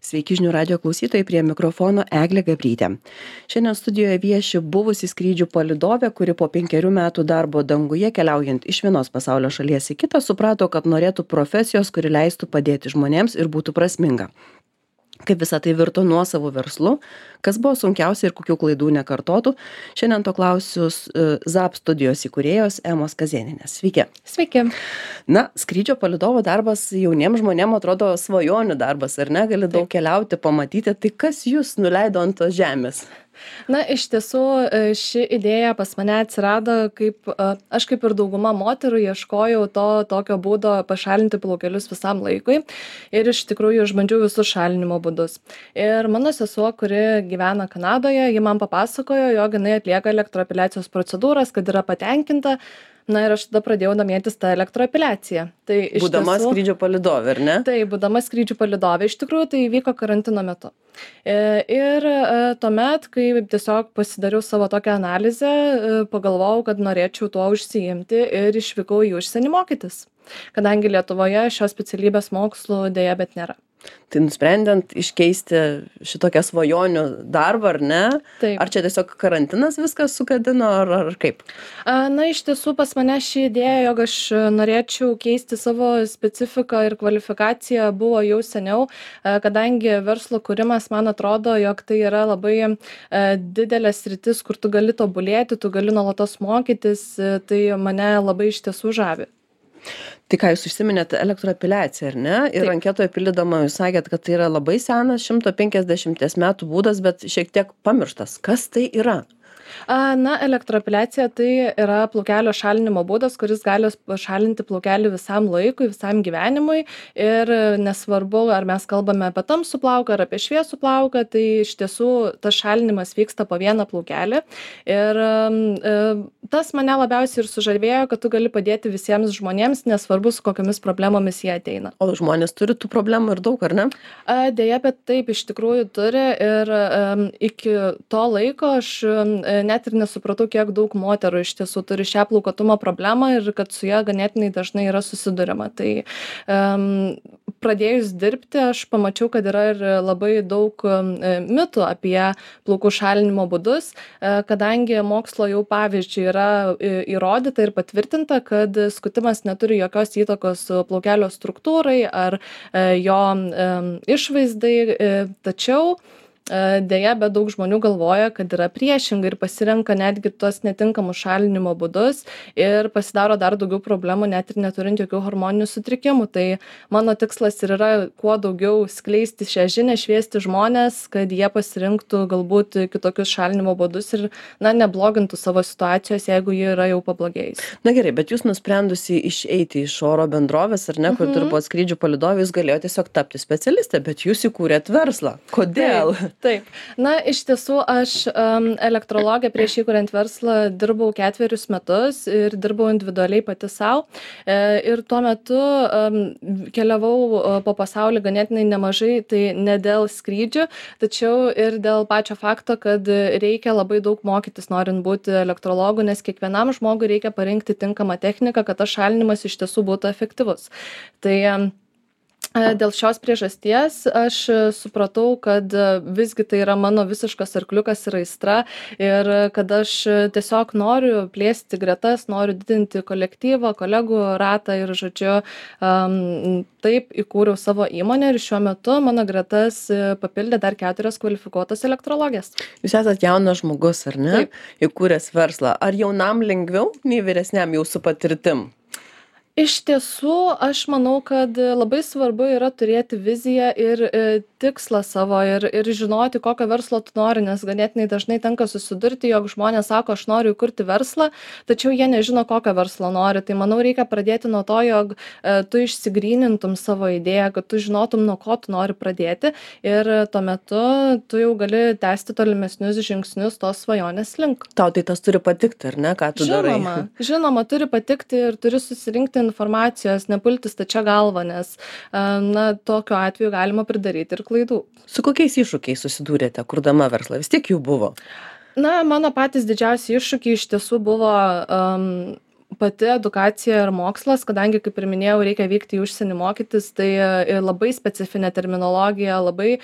Sveiki žinių radio klausytojai, prie mikrofono Eglė Gabrytė. Šiandien studijoje vieši buvusi skrydžių palydovė, kuri po 5 metų darbo danguje keliaujant iš vienos pasaulio šalies į kitą suprato, kad norėtų profesijos, kuri leistų padėti žmonėms ir būtų prasminga. Kaip visą tai virto nuosavų verslu, kas buvo sunkiausia ir kokių klaidų nekartotų, šiandien to klausiu ZAP studijos įkūrėjos Emos Kazėnienės. Sveiki. Sveiki. Na, skrydžio palydovo darbas jauniems žmonėms atrodo svajonių darbas, ar ne? Gali daug keliauti, pamatyti. Tai kas jūs nuleido ant tos žemės? Na, iš tiesų, ši idėja pas mane atsirado, aš kaip ir dauguma moterų ieškojau tokio būdo pašalinti plaukelius visam laikui ir iš tikrųjų išbandžiau visus šalinimo būdus. Ir mano sesuo, kuri gyvena Kanadoje, ji man papasakojo, jog jinai atlieka elektroapeliacijos procedūras, kad yra patenkinta. Na ir aš tada pradėjau domėtis tą elektroapeliaciją. Tai Būdama skrydžio palydovė, ar ne? Tai būdama skrydžių palydovė, iš tikrųjų tai vyko karantino metu. Ir tuomet, kai tiesiog pasidariau savo tokią analizę, pagalvojau, kad norėčiau tuo užsiimti ir išvykau į užsienį mokytis, kadangi Lietuvoje šios specialybės mokslų dėja bet nėra. Tai nusprendent iškeisti šitokią svajonių darbą, ar ne? Taip. Ar čia tiesiog karantinas viskas sukadino, ar kaip? Na, iš tiesų pas mane ši idėja, jog aš norėčiau keisti savo specifiką ir kvalifikaciją buvo jau seniau, kadangi verslo kūrimas man atrodo, jog tai yra labai didelė sritis, kur tu gali tobulėti, tu gali nuolatos mokytis, tai mane labai iš tiesų žavi. Tai ką jūs užsiminėte elektroapeliaciją, ar ne? Ir anketoje pildydama jūs sakėt, kad tai yra labai senas 150 metų būdas, bet šiek tiek pamirštas. Kas tai yra? Na, elektroapeliacija tai yra plaukelio šalinimo būdas, kuris gali šalinti plaukelį visam laikui, visam gyvenimui ir nesvarbu, ar mes kalbame apie tamsų plauką ar apie šviesų plauką, tai iš tiesų tas šalinimas vyksta po vieną plaukelį ir tas mane labiausiai ir sužavėjo, kad tu gali padėti visiems žmonėms, nesvarbu, su kokiamis problemomis jie ateina. O žmonės turi tų problemų ir daug, ar ne? Deja, bet taip iš tikrųjų turi ir iki to laiko aš net ir nesupratau, kiek daug moterų iš tiesų turi šią plaukuotumo problemą ir kad su ja ganėtinai dažnai yra susiduriama. Tai pradėjus dirbti, aš pamačiau, kad yra ir labai daug mitų apie plaukų šalinimo būdus, kadangi mokslo jau pavyzdžiui yra įrodyta ir patvirtinta, kad skutimas neturi jokios įtakos plaukelio struktūrai ar jo išvaizdai, tačiau deja, bet daug žmonių galvoja, kad yra priešingai ir pasirenka netgi tuos netinkamus šalinimo būdus ir pasidaro dar daugiau problemų, net ir neturint jokių hormoninių sutrikimų. Tai mano tikslas ir yra kuo daugiau skleisti šią žinią, šviesti žmonės, kad jie pasirinktų galbūt kitokius šalinimo būdus ir neblogintų savo situacijos, jeigu ji yra jau pablogėjusi. Na gerai, bet jūs nusprendusi išeiti iš oro bendrovės, ar ne, kur dirbot skrydžių palydovė, jūs galėjote tiesiog tapti specialistė, bet jūs įkūrėt verslą. Kodėl? Taip. Na, iš tiesų, aš elektrologė prieš įkuriant verslą dirbau 4 metus ir dirbau individualiai pati savo. Ir tuo metu keliavau po pasaulį ganėtinai nemažai, tai ne dėl skrydžių, tačiau ir dėl pačio fakto, kad reikia labai daug mokytis, norint būti elektrologu, nes kiekvienam žmogui reikia parinkti tinkamą techniką, kad tas šalinimas iš tiesų būtų efektyvus. Tai dėl šios priežasties aš supratau, kad visgi tai yra mano visiškas arkliukas ir aistra ir kad aš tiesiog noriu plėsti gretas, noriu didinti kolektyvą, kolegų ratą ir, žodžiu, taip įkūriau savo įmonę ir šiuo metu mano gretas papildė dar 4 kvalifikuotos elektrologės. Jūs esat jaunas žmogus, ar ne? Taip. Įkūręs verslą. Ar jaunam lengviau, nei vyresniam jau su patirtim? Iš tiesų, aš manau, kad labai svarbu yra turėti viziją ir tikslą savo ir žinoti, kokio verslo tu nori, nes ganėtinai dažnai tenka susidurti, jog žmonės sako, aš noriu įkurti verslą, tačiau jie nežino, kokio verslo nori. Tai manau, reikia pradėti nuo to, jog tu išsigrynintum savo idėją, kad tu žinotum, nuo ko tu nori pradėti ir tuo metu tu jau gali tęsti tolimesnius žingsnius tos svajonės link. Tau tai tas turi patikti, ar ne, ką tu darai? Žinoma, turi patikti ir turi susirinkti informacijos, nepulti stačia galva, nes tokiu atveju galima pridaryti ir klaidų. Su kokiais iššūkiais susidūrėte, kurdama verslą? Vis tiek jų buvo. Na, mano patys didžiausi iššūkiai iš tiesų buvo pati edukacija ir mokslas, kadangi, kaip ir minėjau, reikia vykti į užsienį mokytis, tai labai specifinė terminologija, labai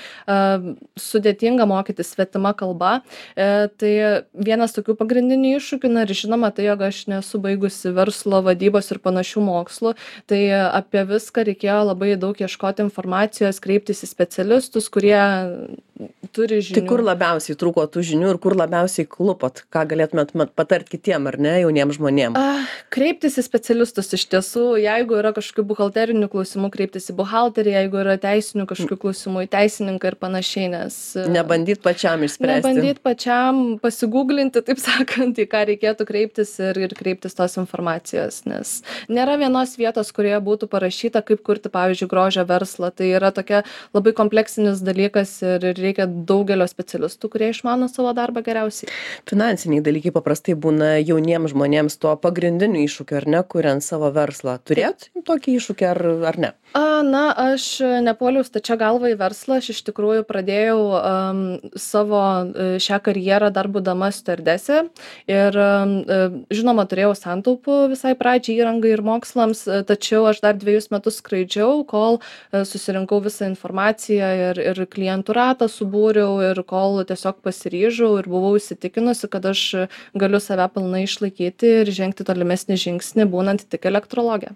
sudėtinga mokytis svetima kalba. Tai vienas tokių pagrindinių iššūkių, na ir žinoma, tai jog aš nesu baigusi verslo vadybos ir panašių mokslų, tai apie viską reikėjo labai daug ieškoti informacijos, kreiptis į specialistus, kurie turi žinių. Tai kur labiausiai trūko tų žinių ir kur labiausiai klupot? Ką galėtumėt patart kitiem, ar ne, jauniems žmonėms? Kreiptis į specialistus iš tiesų, jeigu yra kažkokių buhalterinių klausimų, kreiptis į buhalterį, jeigu yra teisinių kažkokių klausimų, į teisininką ir panašiai, nes... Nebandyt pačiam išspręsti. Nebandyt pačiam pasigūglinti, taip sakant, į ką reikėtų kreiptis ir kreiptis tos informacijos, nes nėra vienos vietos, kurioje būtų parašyta, kaip kurti, pavyzdžiui, grožio verslą. Tai yra tokia labai kompleksinis dalykas ir reikia daugelio specialistų, kurie išmano savo darbą geriausiai. Finansiniai dalykai paprastai būna jauniems žmonėms tuo pagrindiniu iššūkiu, ar ne, kuriant savo verslą. Turėjot tokį iššūkį ar ne? Na, aš nepuoliau stačia galva į verslą, aš iš tikrųjų pradėjau savo šią karjerą dar būdama stiuardese ir žinoma, turėjau santaupų visai pradžiai įrangai ir mokslams, tačiau aš dar 2 metus skraidžiau, kol susirinkau visą informaciją ir klientų ratą subūriau ir kol tiesiog pasiryžau ir buvau įsitikinusi, kad aš galiu save pilnai išlaikyti ir žengti tolimesnį žingsnį, būnant tik elektrologė.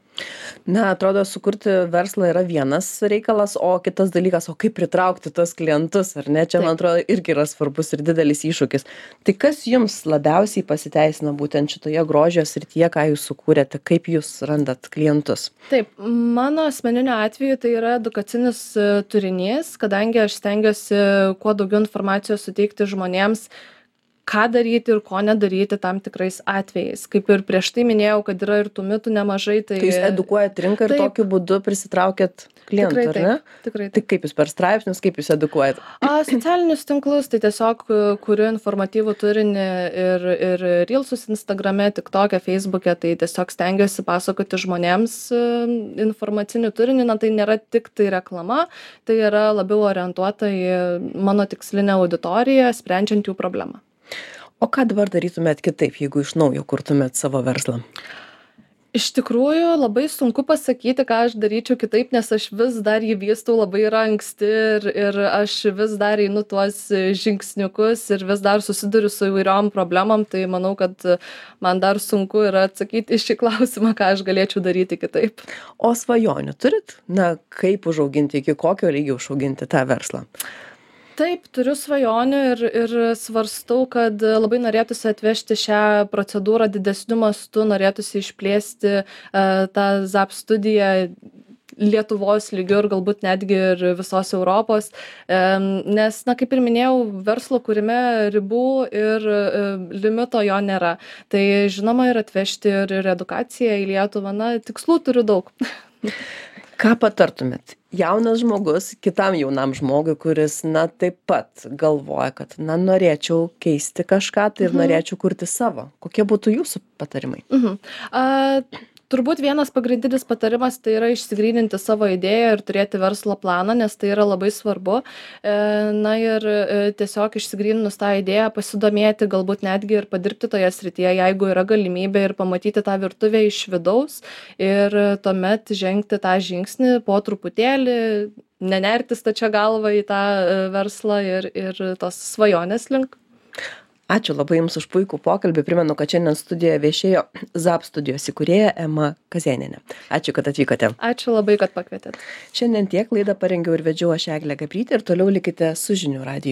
Na, atrodo, sukurti verslą yra vienas reikalas, o kitas dalykas, o kaip pritraukti tos klientus, ar ne? Čia, man atrodo, irgi yra svarbus ir didelis iššūkis. Tai kas jums labiausiai pasiteisina būtent šitoje grožio srityje, ką jūs sukūrėte, kaip jūs randat klientus? Taip, mano asmeniniu atveju tai yra edukacinis turinys, kadangi aš stengiuosi kuo daugiau informacijos suteikti žmonėms, ką daryti ir ko nedaryti tam tikrais atvejais. Kaip ir prieš tai minėjau, kad yra ir tų mitų nemažai. Tai jūs edukuojat rinką ir tokiu būdu prisitraukėt klientų, ar ne? Tikrai taip. Tai kaip jūs per straipsnius, kaip jūs edukuojat? Socialinius tinklus, tai tiesiog kuriu informatyvų turinį ir Reelsus Instagrame, TikTok'e, Facebook'e, tai tiesiog stengiuosi pasakoti žmonėms informacinį turinį, na tai nėra tik tai reklama, tai yra labiau orientuota į mano tikslinę auditoriją, sprendžiant jų problemą. O ką dabar darytumėt kitaip, jeigu iš naujo kurtumėt savo verslą? Iš tikrųjų, labai sunku pasakyti, ką aš daryčiau kitaip, nes aš vis dar jį vystau, labai yra anksti ir aš vis dar einu tuos žingsniukus ir vis dar susiduriu su įvairiom problemom, tai manau, kad man dar sunku yra atsakyti į šį klausimą, ką aš galėčiau daryti kitaip. O svajonių turit? Na, kaip užauginti, iki kokio lygio užauginti tą verslą? Taip, turiu svajonių ir svarstau, kad labai norėtųsi atvežti šią procedūrą didesniu mastu, norėtųsi išplėsti tą ZAP studiją Lietuvos lygiu ir galbūt netgi ir visos Europos, nes, na, kaip ir minėjau, verslo kūrime ribų ir limito jo nėra. Tai žinoma ir atvežti ir edukaciją į Lietuvą, na, tikslų turiu daug. Ką patartumėt? Jaunas žmogus, kitam jaunam žmogui, kuris, na, taip pat galvoja, kad, na, norėčiau keisti kažką, tai ir norėčiau kurti savo. Kokie būtų jūsų patarimai? Turbūt vienas pagrindinis patarimas tai yra išsigryninti savo idėją ir turėti verslo planą, nes tai yra labai svarbu. Na ir tiesiog išsigryninus tą idėją, pasidomėti, galbūt netgi ir padirbti toje srityje, jeigu yra galimybė ir pamatyti tą virtuvę iš vidaus ir tuomet žengti tą žingsnį po truputėlį, nenerti stačia galva į tą verslą ir tos svajonės link. Ačiū labai Jums už puikų pokalbį. Primenu, kad šiandien studijoje viešėjo ZAP studijos įkūrėja Ema Kazėnienė. Ačiū, kad atvykote. Ačiū labai, kad pakvietėt. Šiandien tiek, laidą parengiau ir vedžiau aš Eglė Gabrytė ir toliau likite su Žinių radiju.